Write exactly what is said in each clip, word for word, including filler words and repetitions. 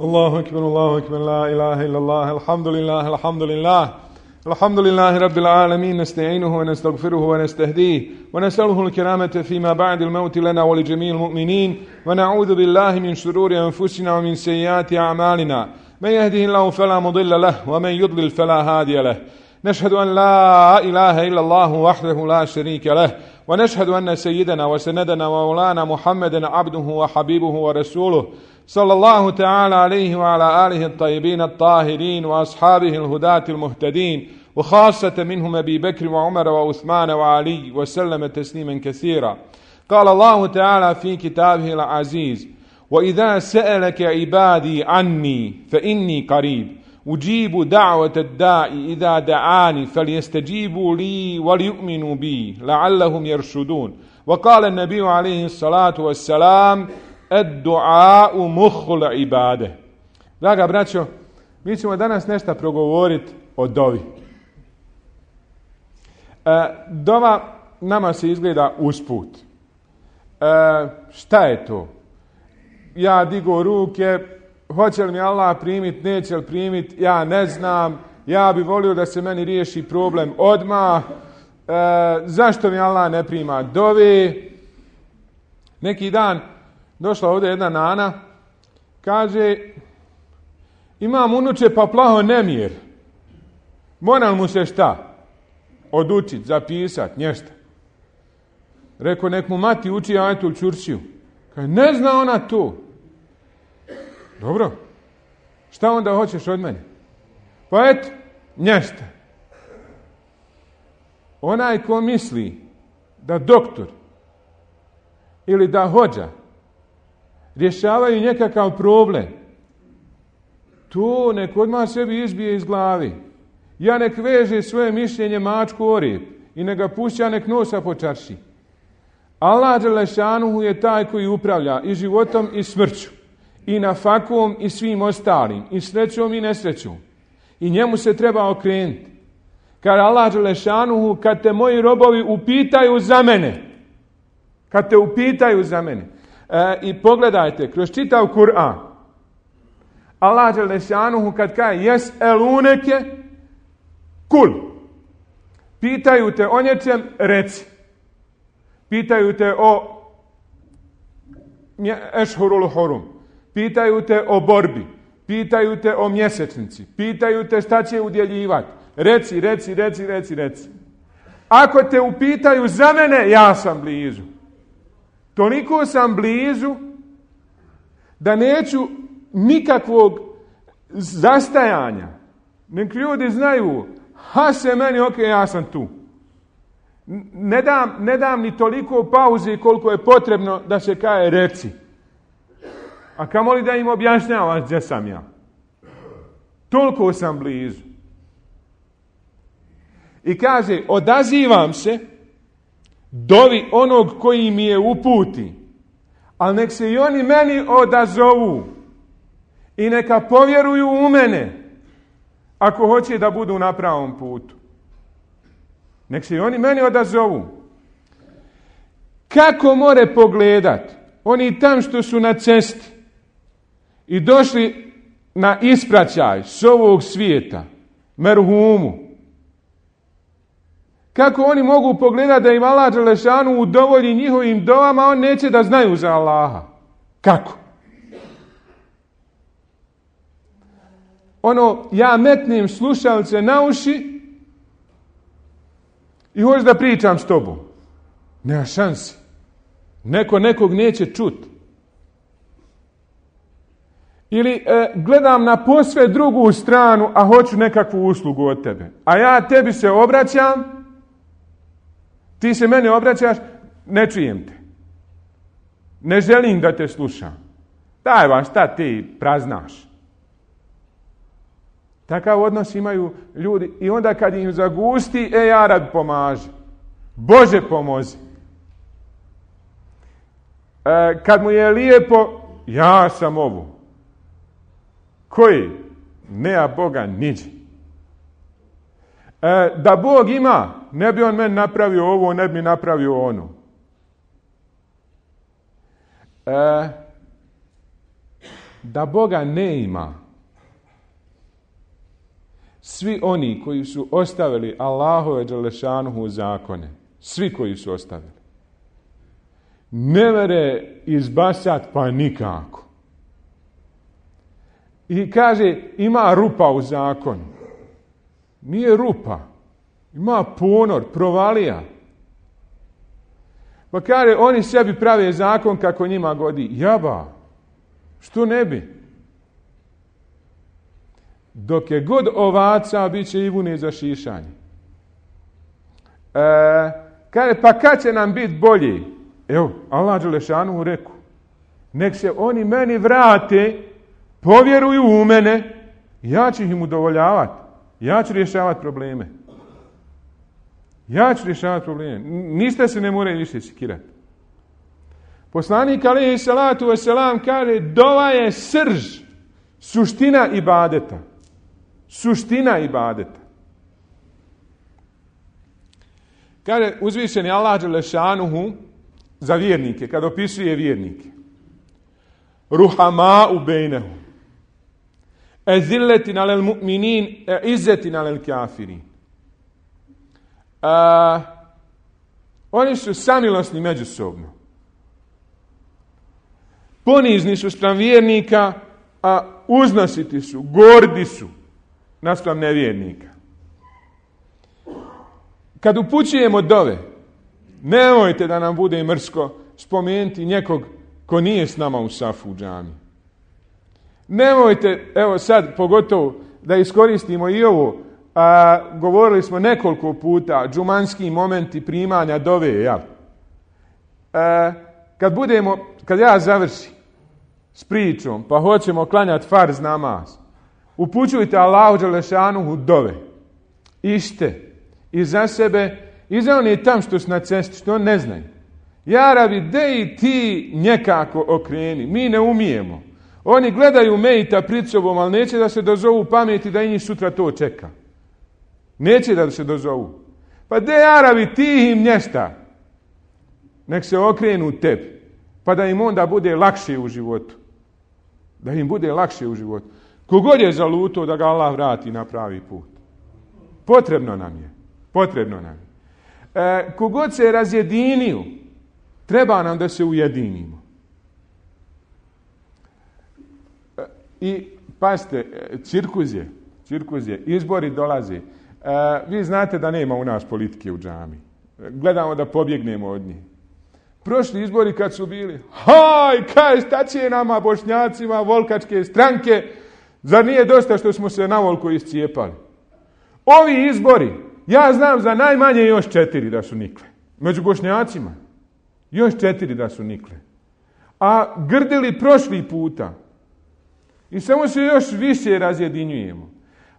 الله أكبر الله أكبر لا إله إلا الله الحمد لله الحمد لله الحمد لله رب العالمين نستعينه ونستغفره ونستهديه ونسأله الكرامة فيما بعد الموت لنا ولجميع المؤمنين ونعوذ بالله من شرور أنفسنا ومن سيئات أعمالنا من يهده الله فلا مضل له ومن يضلل فلا هادي له نشهد أن لا إله إلا الله وحده لا شريك له ونشهد أن سيدنا وسندنا ومولانا محمدا عبده وحبيبه ورسوله صلى الله تعالى عليه وعلى آله الطيبين الطاهرين وأصحابه الهداة المهتدين وخاصة منهم أبي بكر وعمر وعثمان وعلي وسلم تسليما كثيرا. قال الله تعالى في كتابه العزيز: وإذا سألك عبادي عني فإني قريب أجيب دعوة الداعي إذا دعاني فليستجيبوا لي وليؤمنوا بي لعلهم يرشدون. وقال النبي عليه الصلاة والسلام: الدعاء مخ العباده. Draga braćo, mi ćemo danas nešto progovoriti o dovi. E, dova nama se izgleda usput. E, šta je to? Ja digo ruke, hoće li mi Allah primiti, neće li primiti, ja ne znam, ja bi volio da se meni riješi problem odmah, e, zašto mi Allah ne prima dove? Neki dan došla ovdje jedna nana, kaže: imam unuče pa plaho nemir, moram mu se šta? Odučit, zapisat, nješta. Rekao, nek mu mati uči ajetul čurčiju. Kaže, ne zna ona to. Dobro, šta onda hoćeš od mene? Pa eto, nješta. Onaj ko misli da doktor ili da hođa rješavaju nekakav problem, to nek odmah sebi izbije iz glavi. Ja nek veže svoje mišljenje mačku o rep i nek ga pušća, nek nosa po čarši. Allah dželešanuhu je taj koji upravlja i životom i smrću, i nafakom i svim ostalim, i srećom i nesrećom. I njemu se treba okrenuti. Kad Allah dželešanuhu, kad te moji robovi upitaju za mene, kad te upitaju za mene, e, i pogledajte, kroz čitav Kur'an, Allah dželešanuhu kad kaže jes eluneke kul, pitaju te o nečem, reci. Pitaju te o ešhurul hurum, pitaju te o borbi, pitaju te o mjesečnici, pitaju te šta će udjeljivati. Reci, reci, reci, reci, reci. Ako te upitaju za mene, ja sam blizu. Toliko sam blizu da neću nikakvog zastajanja. Nek ljudi znaju, ha se meni, ok, ja sam tu. Ne dam, ne dam ni toliko pauze koliko je potrebno da se kaže reci. A kamoli da im objašnjavaš gdje sam ja. Toliko sam blizu. I kaže, odazivam se dovi onog koji mi je uputi, ali nek se i oni meni odazovu i neka povjeruju u mene ako hoće da budu na pravom putu. Nek se i oni meni odazovu. Kako more pogledat oni tam što su na cesti i došli na ispraćaj s ovog svijeta, merhumu, kako oni mogu pogledati da im Allah dželešanu udovolji njihovim dovama, on neće da znaju za Allaha? Kako? Ono, ja metnem slušalce na uši i hoću da pričam s tobom. Nema šansi. Neko nekog neće čuti. Ili e, gledam na posve drugu stranu, a hoću nekakvu uslugu od tebe. A ja tebi se obraćam, ti se mene obraćaš, ne čujem te. Ne želim da te slušam. Daj vam, šta ti praznaš? Takav odnos imaju ljudi i onda kad im zagusti, e ja rad pomaži. Bože pomozi. E, kad mu je lijepo, ja sam ovo. Koji? Nema Boga niđi. E, da Bog ima, ne bi on meni napravio ovo, ne bi napravio ono. E, da Boga ne ima. Svi oni koji su ostavili Allahove dželešanuhu zakone, svi koji su ostavili, ne mere izbasat pa nikako. I kaže, ima rupa u zakonu. Nije rupa. Ima ponor, provalija. Pa kaže, oni sebi prave zakon kako njima godi. Jaba, što ne bi? Dok je god ovaca, bit će i vune za šišanje. E, kaže, pa kad će nam biti bolje? Evo, Allah dželešanu reku. Nek se oni meni vrate, povjeruju u mene, ja ću im udovoljavati. Ja ću rješavati probleme. Ja ću rješavati probleme. Ništa se ne moraju više sikirati. Poslanik alejhi salatu vesselam kaže, dova je srž, suština ibadeta. Suština ibadeta. Kaže uzvišeni Allah dželešanuhu za vjernike, kad opisuje vjernike. Ruhama u bejnehu. Ezilletin alel mu'minin, e izzetin alel kafirin. A, oni su samilosni međusobno. Ponizni su spram vjernika, a uznositi su, gordi su naspram nevjernika. Kad upućujemo dove, nemojte da nam bude mrsko spomenuti nekog ko nije s nama u safu u džami. Nemojte, evo sad pogotovo da iskoristimo i ovo, a, govorili smo nekoliko puta, džumanski momenti primanja dove, jel? A, kad budemo, kad ja završim s pričom, pa hoćemo klanjati farz namaz, upućujte Allahu dželešanuhu dove. Ište i za sebe, i za oni tam što su na cesti, što ne znaju. Ja rabi, de i ti nekako okreni, mi ne umijemo. Oni gledaju mejta pred sobom, ali neće da se dozovu pameti da i njih sutra to čeka. Neće da se dozovu. Pa de Arabi, ti im nješta. Nek se okrenu tebi. Pa da im onda bude lakše u životu. Da im bude lakše u životu. Kogod je zaluto da ga Allah vrati na pravi put. Potrebno nam je. Potrebno nam je. E, kogod se razjedinio, treba nam da se ujedinimo. E, I pazite, cirkuz je, cirkuz je, izbori dolaze. E, vi znate da nema u nas politike u džami. Gledamo da pobjegnemo od njih. Prošli izbori kad su bili, haj, kaj, šta će nama Bošnjacima, volkačke stranke, zar nije dosta što smo se na volku iscijepali? Ovi izbori, ja znam za najmanje još četiri da su nikle. Među Bošnjacima. Još četiri da su nikle. A grdili prošli puta. I samo se još više razjedinjujemo.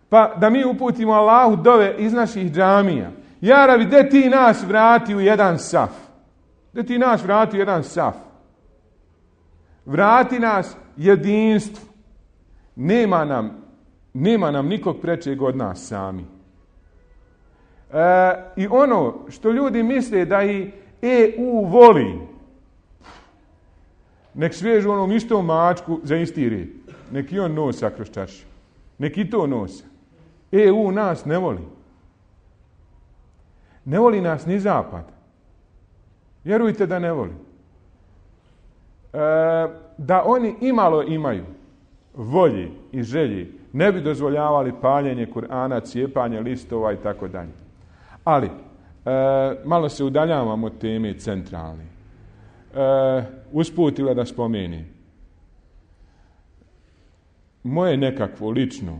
Pa da mi uputimo Allahu dove iz naših džamija. Jarabi, de ti nas vrati u jedan saf. De ti nas vrati u jedan saf. Vrati nas jedinstvu. Nema nam, nema nam nikog prečeg od nas sami. E, I ono što ljudi misle da i E U voli, nek svežu onom istom mačku za isti red. Nek i on nosa kroz čašu. Nek i to nosa. E U nas ne voli. Ne voli nas ni zapad. Vjerujte da ne voli. E, da oni imalo imaju volje i želje, ne bi dozvoljavali paljenje Kur'ana, cijepanje listova i tako dalje. Ali, e, malo se udaljavamo od teme centralne. E, usputila da spomeni. Moje nekakvo lično,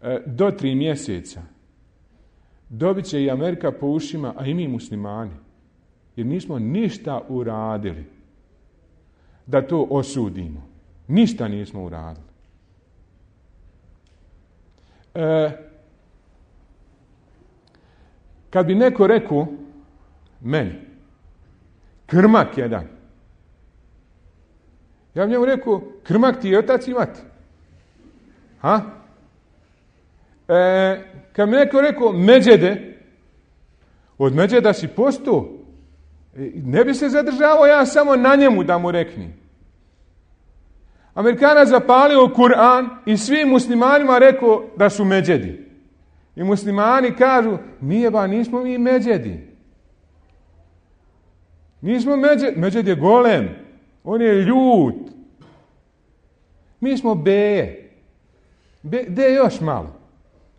e, do tri mjeseca dobit će i Amerika po ušima, a i mi muslimani. Jer nismo ništa uradili da to osudimo. Ništa nismo uradili. E, kad bi neko rekao meni, krmak jedan, ja bi njemu rekao, krmak ti je otac i mati. Ha? E, kad bi neko rekao, međede, od međeda si postao, ne bi se zadržavao ja samo na njemu da mu rekni. Amerikanac zapalio Kur'an i svim muslimanima rekao da su međedi. I muslimani kažu, nije ba, nismo mi međedi. Nismo međed, međed je golem, on je ljut. Mi smo beje. Be, de još malo.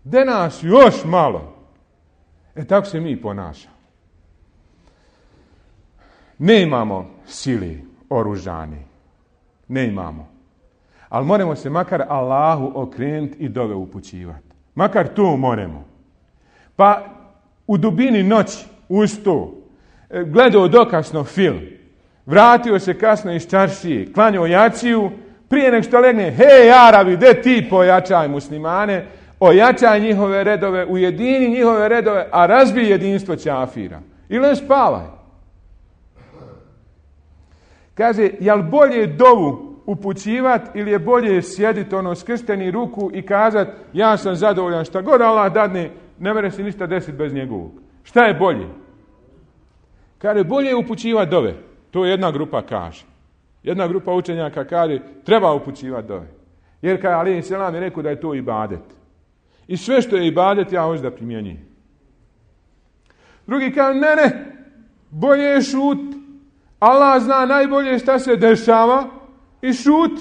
De nas još malo. E tako se mi ponašamo. Ne imamo sili oružani. Ne imamo. Ali moramo se makar Allahu okrenuti i dove upućivati. Makar to moramo. Pa u dubini noći, uz to, gledao dokasno film, vratio se kasno iz čaršije, klanjao jaciju, prije nek što legne, hej Arabi, de ti pojačaj muslimane, ojačaj njihove redove, ujedini njihove redove, a razbij jedinstvo ćafira. Ili spavaj. Kaže, jel bolje dovu upućivati ili je bolje sjediti ono skršteni ruku i kazati, ja sam zadovoljan, šta god Allah dadne, ne mere se ništa desiti bez njegovog. Šta je bolje? Kaže, bolje je upućivati dove. To jedna grupa kaže. Jedna grupa učenjaka kaže, treba upućivati dove. Jer kada alejhi selam je rekao da je to ibadet. I sve što je ibadet, ja hoću da primjenjujem. Drugi kaže, ne, ne, bolje je šut. Allah zna najbolje šta se dešava i šut.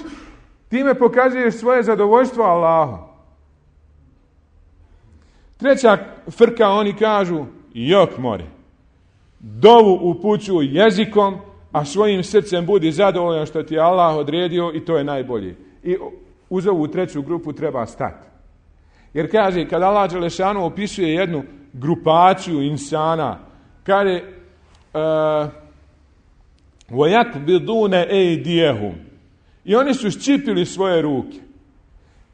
Time pokazuješ svoje zadovoljstvo Allahu. Treća frka, oni kažu, jok more. Dovu upućuj jezikom, a svojim srcem budi zadovoljan što ti je Allah odredio i to je najbolje. I uz ovu treću grupu treba stati. Jer kaže, kad Allah dželešanu opisuje jednu grupaciju insana, kaže وَيَكْبِدُونَ اَيْدِيَهُمْ i oni su ščipili svoje ruke.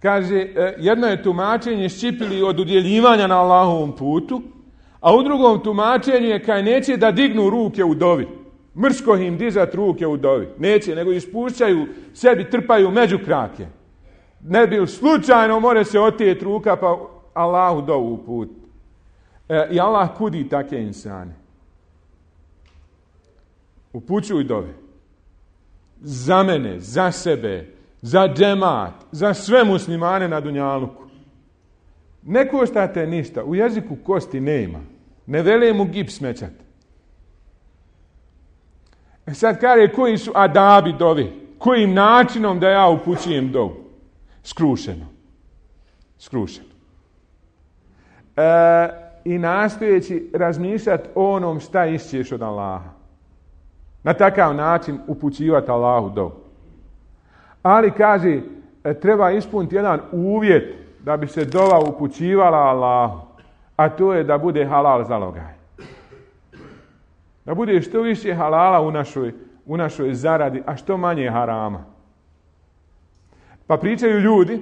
Kaže, jedno je tumačenje ščipili od udjeljivanja na Allahovom putu, a u drugom tumačenju je kaj neće da dignu ruke u dovi. Mrsko im dizat ruke u dovi. Neće, nego ispušćaju, sebi trpaju među krake. Ne bi slučajno more se otijeti ruka pa Allahu dovu u put. E, I Allah kudi take insane. Upućuj dove. Za mene, za sebe, za džemat, za sve muslimane na dunjaluku. Ne koštate ništa. U jeziku kosti nema. Ne vele mu gips smećati. E sad kaže, koji su adabi dovi? Kojim načinom da ja upućujem dovu? Skrušeno. Skrušeno. E, I nastojeći razmišljati o onom šta išćeš od Allaha. Na takav način upućivati Allahu dovu. Ali kaže, treba ispuniti jedan uvjet da bi se dova upućivala Allahu. A to je da bude halal zalogaj. Da bude što više halala u našoj, u našoj zaradi, a što manje harama. Pa pričaju ljudi,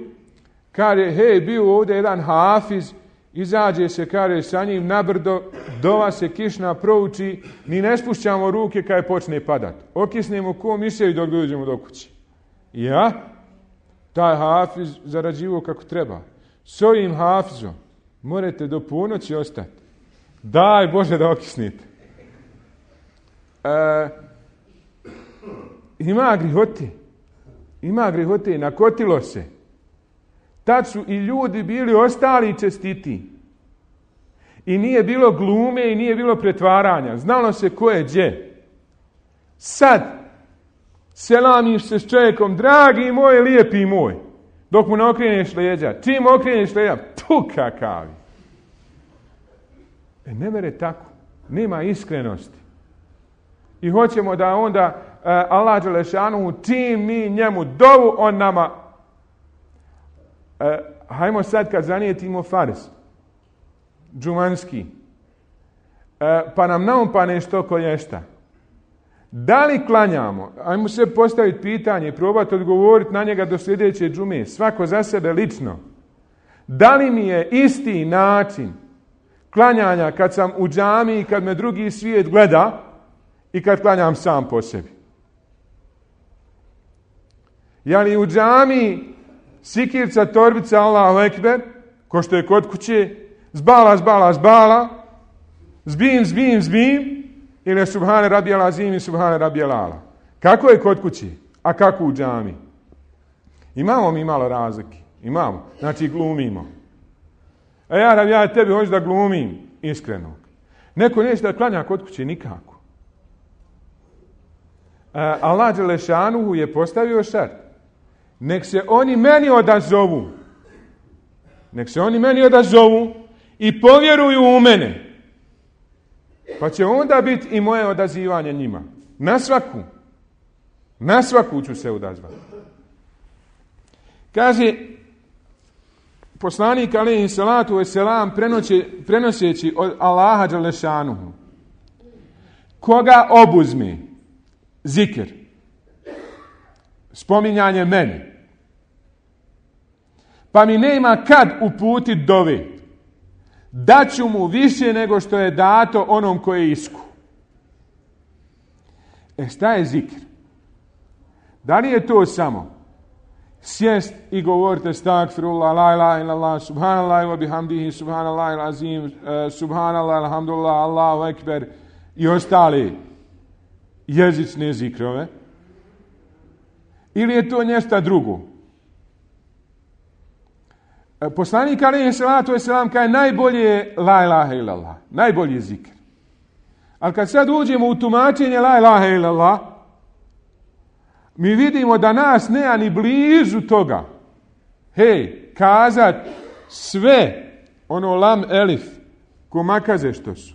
kaže, hej, bio ovdje jedan hafiz, izađe se, kaže, sa njim na brdo, dova se kišna prouči, ni ne spušćamo ruke kada počne padat. Okisnemo ko miševi dok dođemo do kući. Ja, taj hafiz zarađivo kako treba. S ovim hafizom morate do ponoći ostati. Daj Bože da okisnite. E, ima grihote. Ima grihote. Nakotilo se. Tad su i ljudi bili ostali čestiti. I nije bilo glume i nije bilo pretvaranja. Znalo se ko je gdje. Sad selamiš se s čovjekom, dragi moj, lijepi moj. Dok mu ne okreneš leđa. Čim okreneš leđa, tu kakavi. E ne mere tako. Nema iskrenosti. I hoćemo da onda uh, Allah dželešanu, čim mi njemu dovu, on nama uh, hajmo sad kad zanijetimo farz džumanski uh, pa nam naumpa nešto kolješta. Da li klanjamo? Ajmo se postaviti pitanje i probati odgovoriti na njega do sljedeće džume. Svako za sebe lično. Da li mi je isti način klanjanja kad sam u džamiji, kad me drugi svijet gleda i kad klanjam sam po sebi? Je li u džamiji sikirca, torbica, Allahu ekber, ko što je kod kuće, zbala, zbala, zbala, zbim, zbim, zbim, ili subhane rabijal azim i subhane rabijal ala? Kako je kod kući, a kako u džamiji? Imamo mi malo razlike. Imamo. Znači glumimo. A ja, ja tebi hoću da glumim iskrenog. Neko neće da klanja kod kuće nikako. A, Allah Đelešanuhu je postavio šart. Nek se oni meni odazovu. Nek se oni meni odazovu i povjeruju u mene. Pa će onda biti i moje odazivanje njima. Na svaku. Na svaku ću se odazvati. Kaže poslanik alejhi salatu vesselam prenoseći od Allaha Đelešanuhu. Koga obuzme zikr, spominjanje meni, pa mi nema kad uputit dove, daću mu više nego što je dato onom koje je isku. E šta je zikr? Da li je to samo sjest i govorite stakfirullah, la ilaha illallah, subhanallah wa bihamdihi, subhanallah azim, uh, subhanallah, alhamdulillah, Allahu ekber i ostale jezične zikrove? Ili je to nešto drugo? Poslanik alejhi salatu vesselam kaže najbolje je la ilaha illallah, najbolji je zikr. Ali kad sad uđemo u tumačenje la ilaha illallah, mi vidimo da nas nema ni blizu toga. Hej, kazat sve, ono lam elif, ko makaze što su.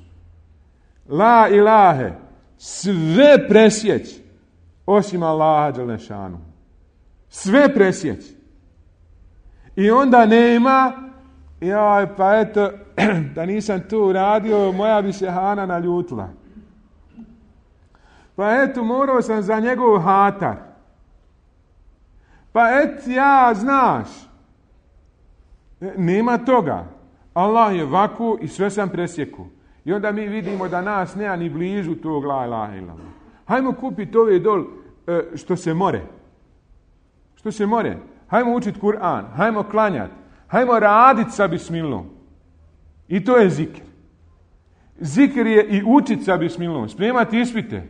La ilahe, sve presjeć, osim Allaha Đelešanu. Sve presjeć. I onda nema, jaj, pa eto, da nisam tu uradio, moja bi se Hana naljutila. Pa eto, morao sam za njegov hatar. Pa et, ja, znaš. Nema toga. Allah je vaku i sve sam presjeku. I onda mi vidimo da nas nema ni blizu tog la ilaha illallah. Hajmo kupiti ove dol što se more. Što se more. Hajmo učiti Kur'an. Hajmo klanjati. Hajmo raditi sa bismilom. I to je zikr. Zikr je i učiti sa bismilom. Spremati ispite.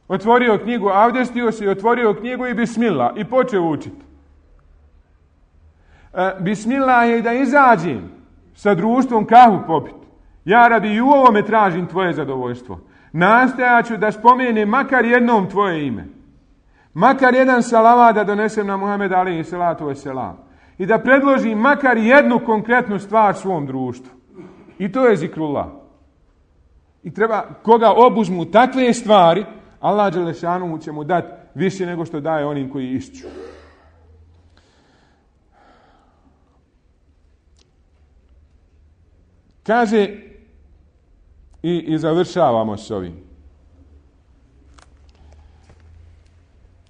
Otvorio knjigu, avdestio se i otvorio knjigu i bismillah. I počeo učiti. E, bismillah je da izađem sa društvom kahu popiti. Ja rabi i u ovome tražim tvoje zadovoljstvo. Nastojat ću da spomenem makar jednom tvoje ime. Makar jedan salavat da donesem na Muhameda alejhi salatu vesselam. I da predložim makar jednu konkretnu stvar svom društvu. I to je zikrullah. I treba, koga obuzmu takve stvari, Allah Đelešanu će mu dati više nego što daje onim koji išću. Kaže i, i završavamo s ovim.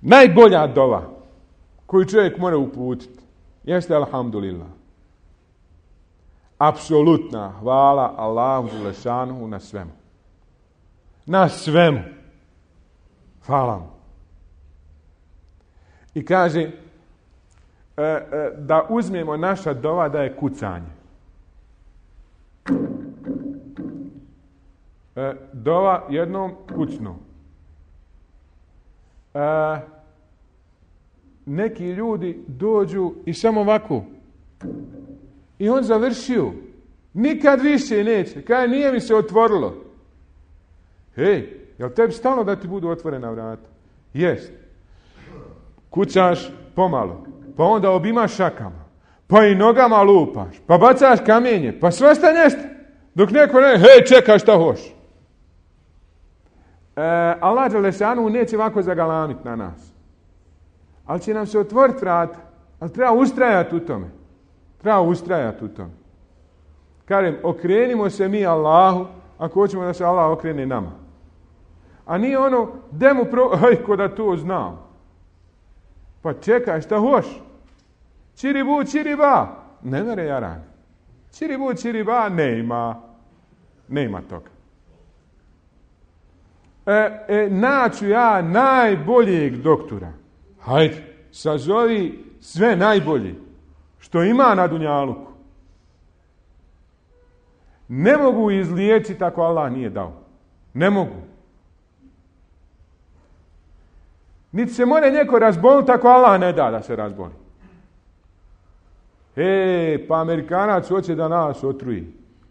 Najbolja dova koju čovjek mora uputiti jeste alhamdulillah. Apsolutna hvala Allahu Đelešanu na svemu. Na svemu. Hvala mu. I kaže e, e, da uzmemo naša dova da je kucanje. E, dova jednom kucnu. E, neki ljudi dođu i samo ovako. I on završio. Nikad više neće. Kaže, nije mi se otvorilo. Hej, jel tebi stalno da ti budu otvorena vrata? Jest. Kucaš pomalo. Pa onda obimaš šakama. Pa i nogama lupaš. Pa bacaš kamenje. Pa svašta nešto. Dok neko ne, hej, čekaj šta hoš. E, Allah Đelešanu neće ovako zagalamiti na nas. Ali će nam se otvoriti vrata. Ali treba ustrajati u tome. Treba ustrajati u tome. Kažem, okrenimo se mi Allahu, ako hoćemo da se Allah okrene nama. A nije ono, demu pro... Aj, ko da to znam. Pa čekaj, šta hoš? Čiribu, čiriba. Ne mere jaran. Čiribu, čiriba, nema. Nema toga. E, e, naću ja najboljeg doktora. Hajde, sazovi sve najbolje što ima na dunjaluku. Ne mogu izliječiti ako Allah nije dao. Ne mogu. Niti se more neko razboliti ako Allah ne da da se razboli. E, pa Amerikanac hoće da nas otruje.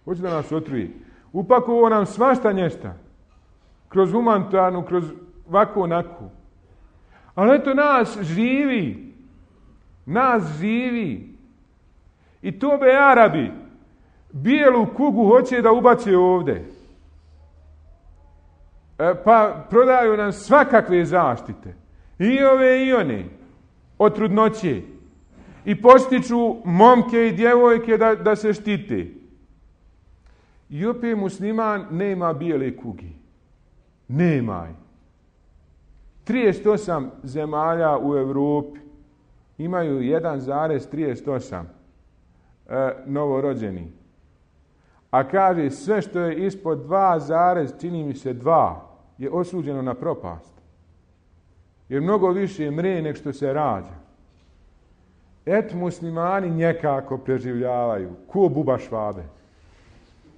Hoće da nas otruje. Upakovo nam svašta nješta. Kroz humanitarnu, kroz ovako onako. Ali eto nas živi. Nas živi. I to be Arabi bijelu kugu hoće da ubace ovdje. E, pa prodaju nam svakakve zaštite. I ove i one. Od trudnoće. I postiču momke i djevojke da, da se štite. I opet musliman nema bijele kugi. Nema. trideset osam zemalja u Europi imaju jedan zarez trideset osam e, novorođeni. A kaže sve što je ispod dva zarez, čini mi se dva, je osuđeno na propast. Jer mnogo više mre nek što se rađa. Et muslimani njekako preživljavaju. Ko buba švabe.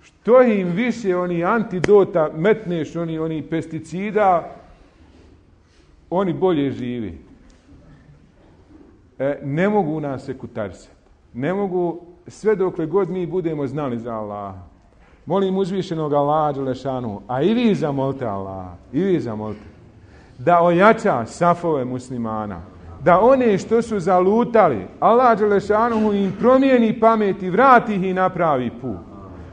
Što im više oni antidota metneš, oni, oni pesticida, oni bolje živi. E, ne mogu nas sekutarisati. Ne mogu, sve dokle god mi budemo znali za Allaha. Molim uzvišenog Allaha dželešanu, a i vi zamolite Allaha, i vi zamolite, da ojača safove muslimana, da one što su zalutali, Allah dželešanu im promijeni pamet i vrati ih i napravi put.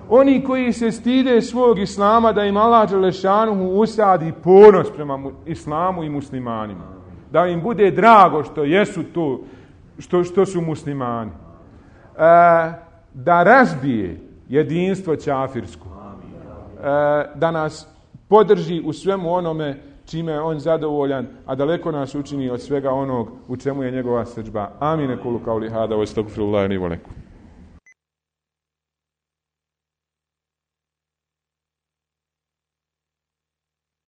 Oni koji se stide svog islama, da im Allah dželešanu usadi ponos prema islamu i muslimanima. Da im bude drago što jesu to, što, što su muslimani. E, da razbije jedinstvo ćafirsko. E, da nas podrži u svemu onome čime je on zadovoljan, a daleko nas učini od svega onog u čemu je njegova srdžba. Amin. Kulu kauli hada, wa astagfirullahi li wa lakum.